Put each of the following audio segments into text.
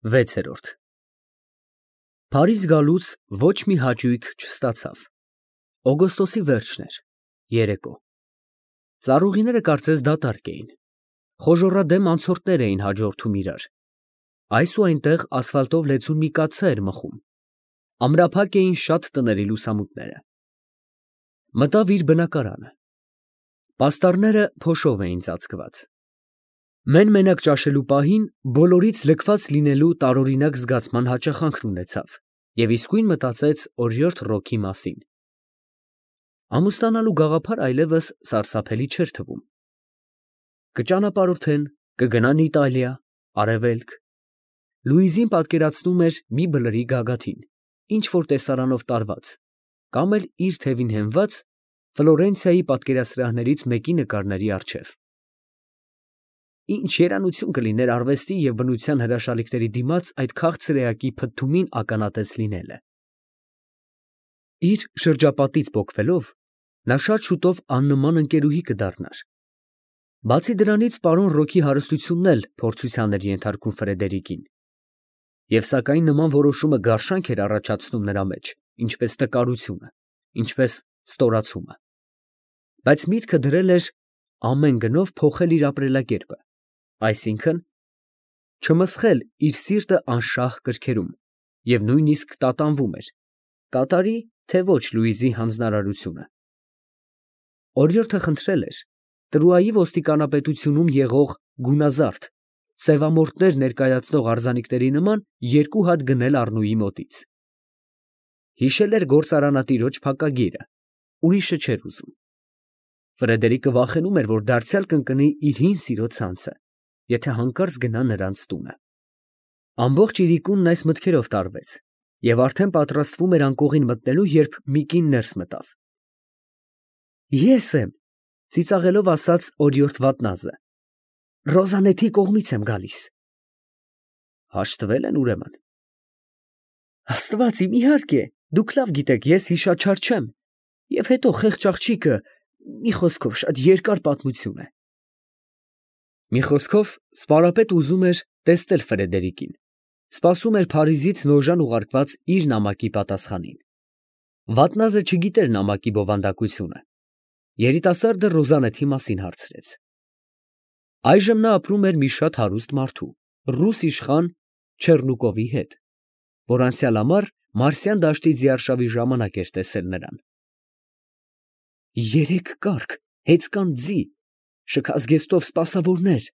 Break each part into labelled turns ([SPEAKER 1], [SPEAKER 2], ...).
[SPEAKER 1] 6-րդ Փարիզ գալուց ոչ մի հաճույք չստացավ։ Օգոստոսի վերջն էր, երեկո։ Ծառուղիները կարծես դատարկ էին։ Խոժոռադեմ անցորդներ էին հաջորդում իրար։ Այս ու այնտեղ ասֆալտով լեցուն մի կաթսա էր մխում։ Ամրափակ էին շատ տների լուսամուտները։ Մտավ իր բնակարանը։ Պաստառները փոշով էին ծածկված։ Մեն֊մենակ ճաշելու պահին բոլորից լքված լինելու տարօրինակ զգացման հաճախանքն ունեցավ և իսկույն մտածեց օրիորդ Ռոքի մասին։ Ամուսնանալու գաղափար այլևս սարսափելի չէր թվում։ Կճանապարհորդեն, կգնան Իտալիա, Արևելք։ Լուիզին պատկերացնում էր մի բլրի գագաթին, ինչ֊որ տեսարանով տարված, կամ էլ իր թևին հենված Ֆլորենցիայի պատկերասրահներից մեկի նկարների առջև։ Ինչ երանություն կլիներ արվեստի և բնության հրաշալիքների դիմաց այդ քաղցր էակի փթթումին ականատես լինելը։ Իր շրջապատից պոկվելով, նա շատ շուտով աննման ընկերուհի կդառնար։ Բացի դրանից, պարոն Ռոքի հարստությունն էլ փորձության էր ենթարկում Ֆրեդերիկին։ Եվ սակայն նման որոշումը գարշանք էր առաջացնում նրա մեջ, ինչպես տկարությունը, ինչպես ստորացումը։ Բայց միտքը դրել էր ամեն գնով փոխել իր ապրելակերպը, այսինքն՝ չմսխել իր սիրտը անշահ կրքերում, և նույնիսկ տատանվում էր, կատարի, թե ոչ Լուիզի հանձնարարությունը։ Օրիորդը խնդրել էր Տրուայի ոստիկանապետությունում եղող գունազարդ, սևամորթներ ներկայացնող արձանիկների նման 2 հատ գնել Առնուի մոտից։ Հիշել էր գործարանատիրոջ փակագիրը, ուրիշը չէր ուզում։ Ֆրեդերիկը վախենում էր, որ դարձյալ կընկնի իր հին սիրո ցանցը, եթե հանկարծ գնա նրանց տունը։ Ամբողջ իրիկունն այս մտքերով տարվեց և արդեն պատրաստվում էր անկողին մտնելու, երբ մի կին ներս մտավ։ Ես եմ, ծիծաղելով ասաց օրիորդ Վատնազը, Ռոզանեթի կողմից եմ գալիս։ Հաշտվել են ուրեմն։ Աստված իմ, իհարկե, դուք լավ գիտեք, ես հիշաչար չեմ, և հետո խեղճ աղջիկը, մի խոսքով, շատ երկար պատմություն է։ Մի խոսքով, սպարապետ ուզում էր տեսնել Ֆրեդերիկին, սպասում էր Փարիզից Նոժան ուղարկված իր նամակի պատասխանին։ Վատնազը չգիտեր նամակի բովանդակությունը։ Երիտասարդը Ռոզանեթի մասին հարցրեց։ Այժմ նա ապրում էր մի շատ հարուստ մարդու, ռուս իշխան Չեռնուկովի հետ, որ անցյալ ամառ Մարսյան դաշտի ձիարշավի ժամանակ էր տեսել նրան։ 3 կառք, հեծկան ձի, շքազգեստով սպասավորներ,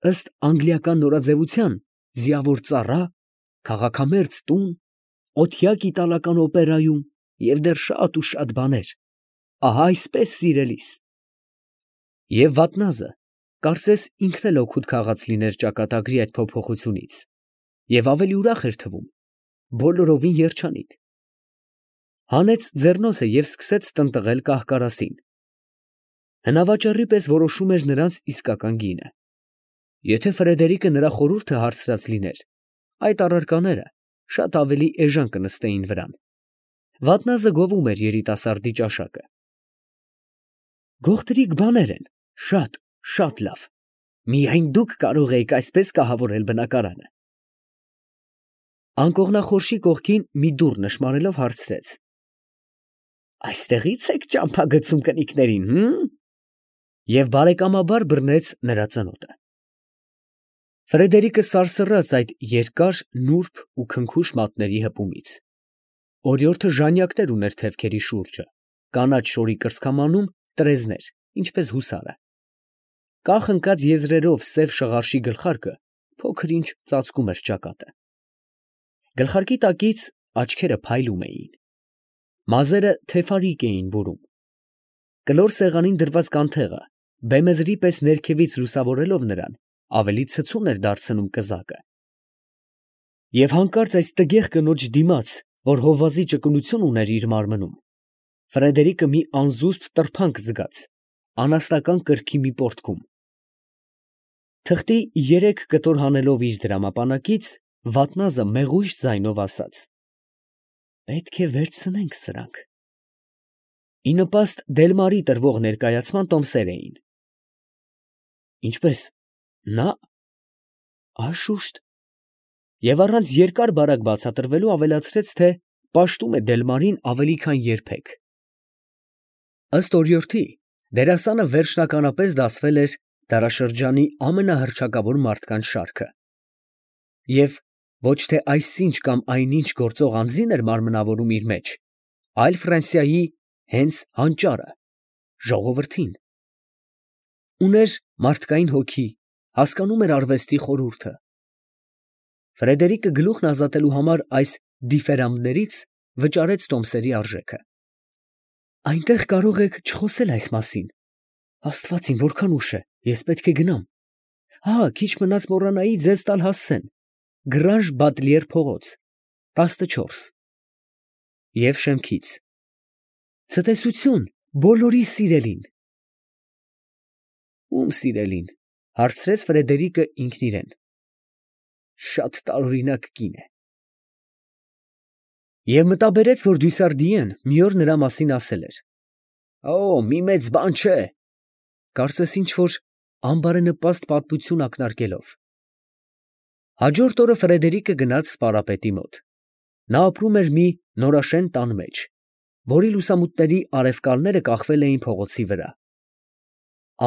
[SPEAKER 1] ըստ անգլիական նորաձևության, ձիավոր ծառա, քաղաքամերձ տուն, օթյակ իտալական օպերայում և դեռ շատ ու շատ բաներ, ահա այսպես սիրելիս։ Եվ Վատնազը, կարծես ինքն էլ օգուտ քաղած լիներ ճակատագրի այդ փոփոխությունից, և ավելի ուրախ էր թվում, բոլորովին երջանիկ։ Հանեց ձեռնոցը և սկսեց տնտղել կահ֊կարասին։ Հնավաճառի պես որոշում էր նրանց իսկական գինը։ Եթե Ֆրեդերիկը նրա խորհուրդը հարցրած լիներ, այդ առարկաները շատ ավելի էժան կնստեին վրան։ Վատնազը գովում էր երիտասարդի ճաշակը։ Գողտրիկ բաներ են, շատ, շատ լավ, միայն դուք կարող էիք այսպես կահավորել բնակարանը։ Անկողնախորշի կողքին մի դուռ նշմարելով հարցրեց. Այստեղի՞ց եք ճամփա գցում կնիկներին, և բարեկամաբար բռնեց նրա ծնոտը։ Ֆրեդերիկը սարսռաց այդ երկար, նուրբ ու քնքուշ մատների հպումից։ Օրիորդը ժանյակներ ուներ թևքերի շուրջը, կանաչ շորի կրծքամանում տրեզներ, ինչպես հուսարը։ Կախ ընկած եզրերով սև շղարշի գլխարկը փոքր ինչ ծածկում էր ճակատը։ Գլխարկի տակից աչքերը փայլում էին։ Մազերը թեֆարիկ էին բուրում։ Կլոր սեղանին դրված կանթեղը, բեմեզրի պես ներքևից լուսավորելով նրան, ավելի ցցուն էր դարձնում կզակը։ Եվ հանկարծ այս տգեղ կնոջ դիմաց, որ հովազի ճկունություն ուներ իր մարմնում, Ֆրեդերիկը մի անզուսպ տրփանք զգաց անաստական կրքի մի պոռթկում։ Թղթի 3 կտոր հանելով իր դրամապանակից, Վատնազը մեղույժ ձայնով ասաց. Պետք է վերցնենք սրանք։ Ի նպաստ Դելմարի տրվող ներկայացման տոմսեր էին։ Ինչպե՞ս, նա… Անշուշտ, Եվ առանց երկար բարակ բացատրվելու ավելացրեց, թե պաշտում է Դելմարին ավելի քան երբեք։ Ըստ օրիորդի, դերասանը վերջնականապես դասվել էր դարաշրջանի ամենահռչակավոր մարդկանց շարքը։ Եվ ոչ թե այսինչ կամ այնինչ գործող անձին էր մարմնավորում իր մեջ, այլ Ֆրանսիայի հենց հանճարը, ժողովրդին։ Ուներ մարդկային հոգի, հասկանում էր արվեստի խորհուրդը։ Ֆրեդերիկը գլուխն ազատելու համար այս դիֆերանդներից վճարեց տոմսերի արժեքը։ Այնտեղ կարող եք չխոսել այս մասին։ Աստված իմ, որքան ուշ է, ես պետք է գնամ։ Քիչ մնաց մոռանայի ձեզ տալ հասցեն։ Գրանժ Բատլիեր փողոց, 14։ Եվ շեմքից. ցտեսություն բոլորի սիրելին։ Ում սիրելին, հարցրեց Ֆրեդերիկը ինքն իրեն։ Շատ տարօրինակ կին է։ Եվ մտաբերեց, որ Դյուսարդիեն մի օր նրա մասին ասել էր. մի մեծ բան չէ, կարծես ինչ որ անբարենպաստ պատմություն ակնարկելով։ Հաջորդ օրը Ֆրեդերիկը գնաց սպարապետի մոտ։ Նա ապրում էր մի նորաշեն տան մեջ, որի լուսամուտների արևկալները կախվել էին փողոցի վրա։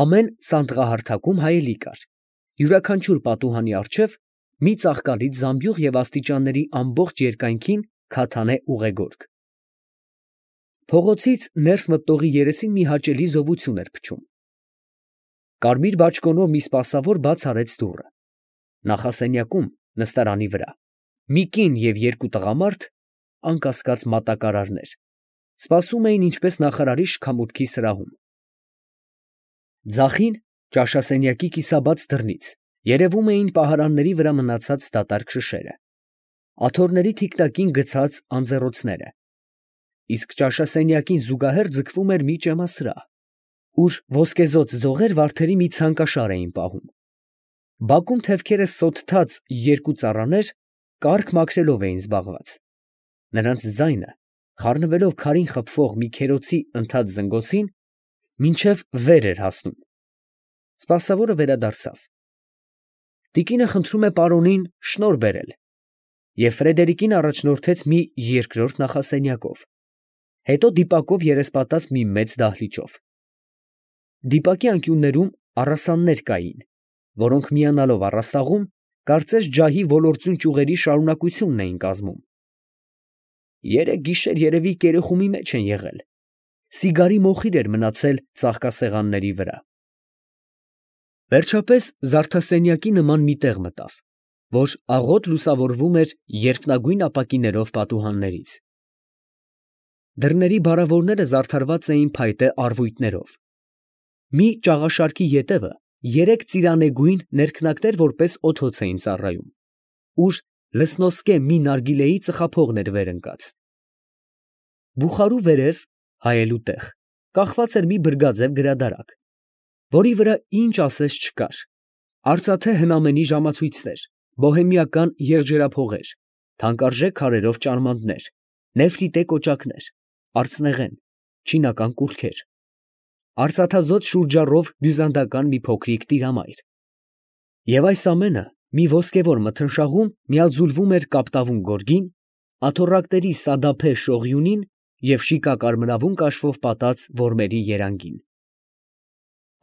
[SPEAKER 1] Ամեն սանդղահարթակում հայելի կար, յուրաքանչյուր պատուհանի առջև մի ծաղկալից զամբյուղ և աստիճանների ամբողջ երկայնքին քաթանե ուղեգորգ։ Փողոցից ներս մտնողի երեսին մի հաճելի զովություն էր փչում։ Կարմիր բաճկոնով մի սպասավոր բաց արեց դուռը։ Նախասենյակում, նստարանի վրա, մի կին և երկու տղամարդ, անկասկած մատակարարներ, սպասում էին ինչպես նախարարի շքամուտքի սրահում։ Ձախին, ճաշասենյակի կիսաբաց դռնից, երևում էին պահարանների վրա մնացած դատարկ շշերը, աթոռների թիկնակին գցած անձեռոցները, իսկ ճաշասենյակին զուգահեռ ձգվում էր մի ճեմասրահ, ուր ոսկեզօծ ձողեր վարդերի մի ցանկաշար էին պահում։ Բակում թևքերը սոթթած երկու ծառաներ կառք մաքրելով էին զբաղված։ Նրանց ձայնը, խառնվելով քարին խփվող մի քերոցի ընդհատ զնգոցին, մինչև վեր էր հասնում։ Սպասավորը վերադարձավ։ Տիկինը խնդրում է պարոնին շնորհ բերել և Ֆրեդերիկին առաջնորդեց մի երկրորդ նախասենյակով, հետո դիպակով երեսպատած մի մեծ դահլիճով։ Դիպակի անկյուններում առասաններ կային, որոնք միանալով առաստաղում, կարծես ջահի ոլործուն ճյուղերի շարունակությունն էին կազմում։ Երեկ գիշեր երևի կերեխումի մեջ են եղել։ Սիգարի մոխիր էր մնացել ծաղկասեղանների վրա։ Վերջապես զարդասենյակի նման մի տեղ մտավ, որ աղոտ լուսավորվում էր երփնագույն ապակիներով պատուհաններից։ Դռների բարավորները զարդարված էին փայտե առվույտներով։ Մի ճաղաշարքի ետևը երեք ծիրանեգույն ներքնակներ որպես օդոց էին ծառայում, ուր լսնոսկե մի նարգիլեի ծխափողն էր վեր ընկած։ Բուխարու վերև, հայելու տեղ, կախված էր մի բրգաձև գրադարակ, որի վրա ինչ ասես չկար, արծաթե հնամենի ժամացույցներ, բոհեմիական եղջերափողեր, թանկարժեք քարերով ճարմաններ, նեֆրիտե կոճակներ, արծնեղեն, չինական կուռքեր, արծաթազոտ շուրջառով բյուզանդական մի փոքրիկ տիրամայր։ Եվ այս ամենը մի ոսկևոր մթնշաղում միաձուլվում էր կապտավուն գորգին, աթոռակների սադափե շողյունին և շիկակարմրավուն կաշվով պատած որմերի երանգին։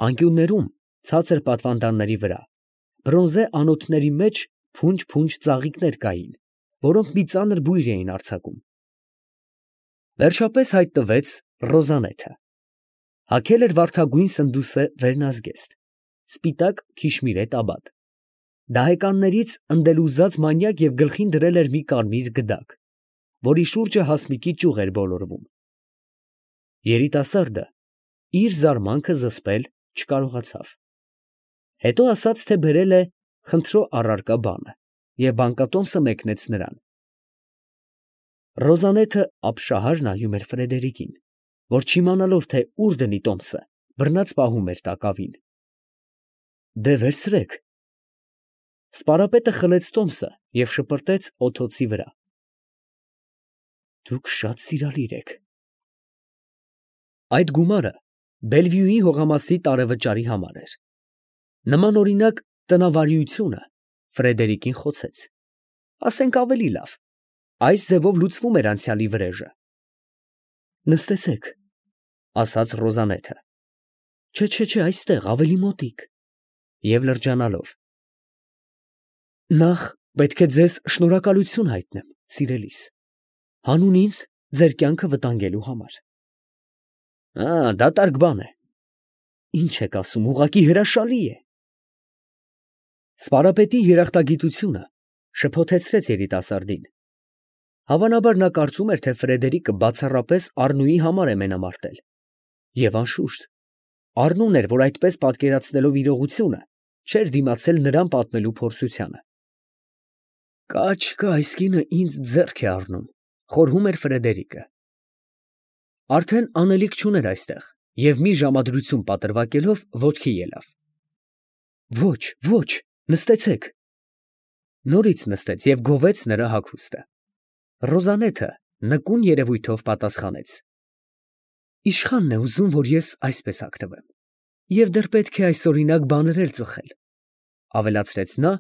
[SPEAKER 1] Անկյուններում, ցածր պատվանդանների վրա, բրոնզե անոթների մեջ փունջ ծաղիկներ կային, որոնք մի ծանր բույր էին արձակում։ Վերջապես հայտնվեց Ռոզանեթը։ Հագել էր վարդագույն սնդուսե վերնազգեստ, սպիտակ քիշմիրե տաբատ։ Դահեկաններից ընդելուզած մանյակ և գլխին դրել էր մի կարմիր գդակ, որի շուրջը հասմիկի ճյուղ էր բոլորվում։ Երիտասարդը իր զարմանքը զսպել չկարողացավ։ Հետո ասաց, թե բերել է խնդրո առարկա բանը, և բանկատոմսը մեկնեց նրան։ Ռոզանեթը ապշահար նայում էր Ֆրեդերիկին, որ չիմանալով, թե ուր դնի տոմսը, բռնած պահում էր տակավին։ Դե վերցրեք։ Սպարապետը խլեց տոմսը և շպրտեց օդոցի վրա։ Դուք շատ սիրալիր եք։ Այդ գումարը Բելվյուի հողամասի տարեվճարի համար էր։ Նմանօրինակ տնավարիությունը Ֆրեդերիկին խոցեց։ ասենք ավելի լավ, այս ձևով լուծվում էր անցյալի վրեժը։ Նստեցեք, ասաց Ռոզանեթը։ Չէ, այստեղ, ավելի մոտիկ։ Եվ լրջանալով. Նախ պետք է ձեզ շնորհակալություն հայտնեմ, սիրելիս, հանուն ինձ ձեր կյանքը վտանգելու համար։ Դատարկ բան է։ Ինչ եք ասում, ուղղակի հրաշալի է։ Սպարապետի երախտագիտությունը շփոթեցրեց երիտասարդին։ Հավանաբար նա կարծում էր, թե Ֆրեդերիկը բացառապես Առնուի համար է մենամարտել։ Եվ անշուշտ, Առնուն էր, որ այդպես պատկերացնելով իրողությունը, չէր դիմացել նրան պատմելու փորձությանը։ Կաչ, այս կինը ինձ ձեռք է առնում, խորհում էր Ֆրեդերիկը։ Արդեն անելիք չուներ այստեղ, և մի ժամադրություն պատրվակելով ոտքի ելավ։ Ոչ, նստեցեք։ Նորից նստեց և գովեց նրա հագուստը։ Ռոզանեթը նկուն երևույթով պատասխանեց. Իշխանն է ուզում, որ ես այսպես հագնվեմ, և դեռ պետք է այսօրինակ բաներ էլ ծխել, ավելացրեց նա,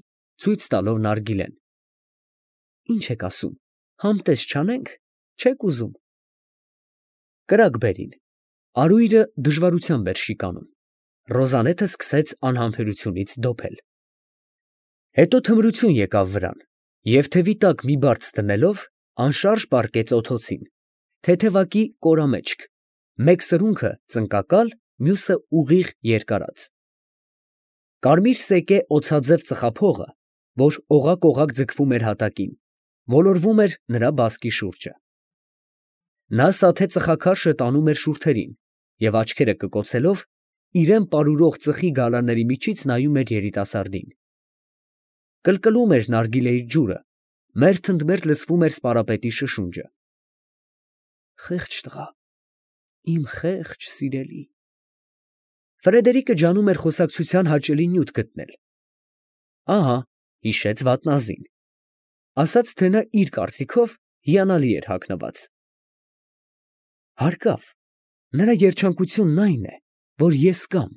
[SPEAKER 1] ցույց տալով նարգիլեն։ Ինչ եք ասում, համտես չանենք, չեք ուզում։ Կրակ բերին։ Արույրը դժվարությամբ էր շիկանում։ Ռոզանեթը սկսեց անհամբերությունից դոփել։ Հետո թմրություն եկավ վրան, և թևի տակ մի բարձ դնելով, անշարժ պառկեց օդոցին, թեթևակի կորամեջք, մեկ սրունքը ծնկակալ, մյուսը ուղիղ երկարած։ Կարմիր սեկե օձաձև ծխափողը, որ օղակ ձգվում էր հատակին, ոլորվում էր նրա բազկի շուրջը։ Նա սաթե ծխաքարշը տանում էր շուրթերին և աչքերը կկոցելով, իրան պարուրող ծխի գալարների միջից նայում էր երիտասարդին։ Կլկլում էր նարգիլեի ջուրը, մերթ ընդ մերթ լսվում էր սպարապետի շշունջը։ Խեղճ տղա, իմ խեղճ սիրելի։ Ֆրեդերիկը ջանում էր խոսակցության հաճելի նյութ գտնել։ Ահա, հիշեց վատնազին, ասաց, թե նա իր կարծիքով հիանալի էր հագնված։ Հարկավ, նրա երջանկությունն այն է, որ ես կամ։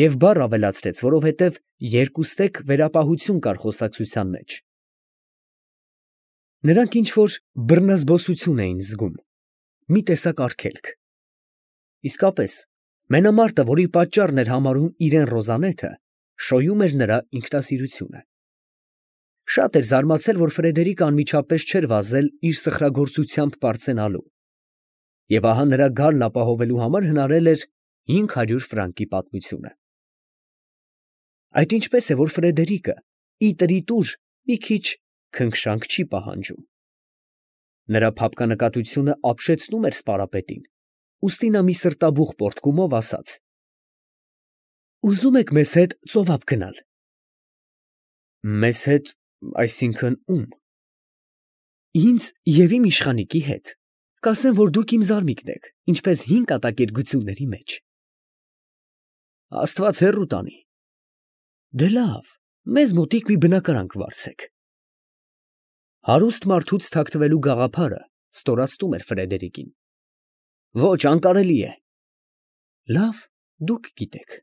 [SPEAKER 1] Եվ բառ ավելացրեց, որովհետև երկուստեք վերապահություն կար խոսակցության մեջ։ Նրանք ինչ-որ բռնազբոսություն էին զգում, մի տեսակ արգելք։ Իսկապես, մենամարտը, որի պատճառն էր համարում իրեն Ռոզանեթը, շոյում էր նրա ինքնասիրությունը։ Շատ էր զարմացել, որ Ֆրեդերիկը անմիջապես չէր վազել իր սխրագործությամբ պարծենալու, և ահա նրա գալն ապահովելու համար հնարել էր 500 ֆրանկի պատմությունը։ Այդ ինչպես է, որ Ֆրեդերիկը ի տրիտուր մի քիչ քնքշանք չի պահանջում։ Նրա փափկանկատությունը ապշեցնում էր սպարապետին, ուստի նա մի սրտաբուխ պոռթկումով ասաց. Ուզում եք մեզ հետ ծովափ գնալ։ Մեզ հետ, այսինքն ում։ Ինձ և իմ իշխանիկի հետ։ Կասեմ, որ դուք իմ զարմիկն եք, ինչպես 5 կատակերգությունների մեջ։ Աստված հեռու տանի։ Դե լավ, մեզ մոտիկ մի բնակարան կվարձեք։ Հարուստ մարդուց թաքցվելու գաղափարը ստորացնում էր Ֆրեդերիկին։ Ոչ, անկարելի է։ Լավ, դուք գիտեք։